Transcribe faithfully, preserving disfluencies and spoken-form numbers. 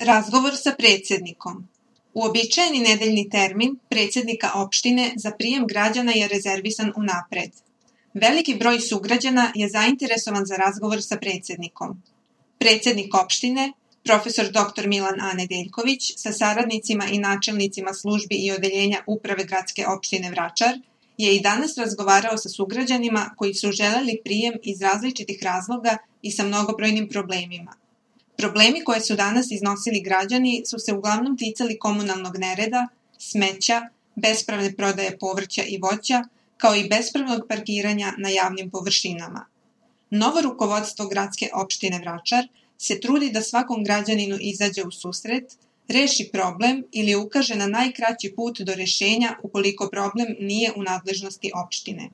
Razgovor sa predsjednikom. Uobičajeni nedeljni termin predsjednika opštine za prijem građana je rezervisan unapred. Veliki broj sugrađana je zainteresovan za razgovor sa predsjednikom. Predsjednik opštine, profesor doktor Milan A. Nedeljković, sa saradnicima i načelnicima službi i odeljenja Uprave gradske opštine Vračar, je i danas razgovarao sa sugrađanima koji su želeli prijem iz različitih razloga i sa mnogobrojnim problemima. Problemi koje su danas iznosili građani su se uglavnom ticali komunalnog nereda, smeća, bespravne prodaje povrća i voća, kao i bespravnog parkiranja na javnim površinama. Novo rukovodstvo gradske opštine Vračar se trudi da svakom građaninu izađe u susret, reši problem ili ukaže na najkraći put do rešenja ukoliko problem nije u nadležnosti opštine.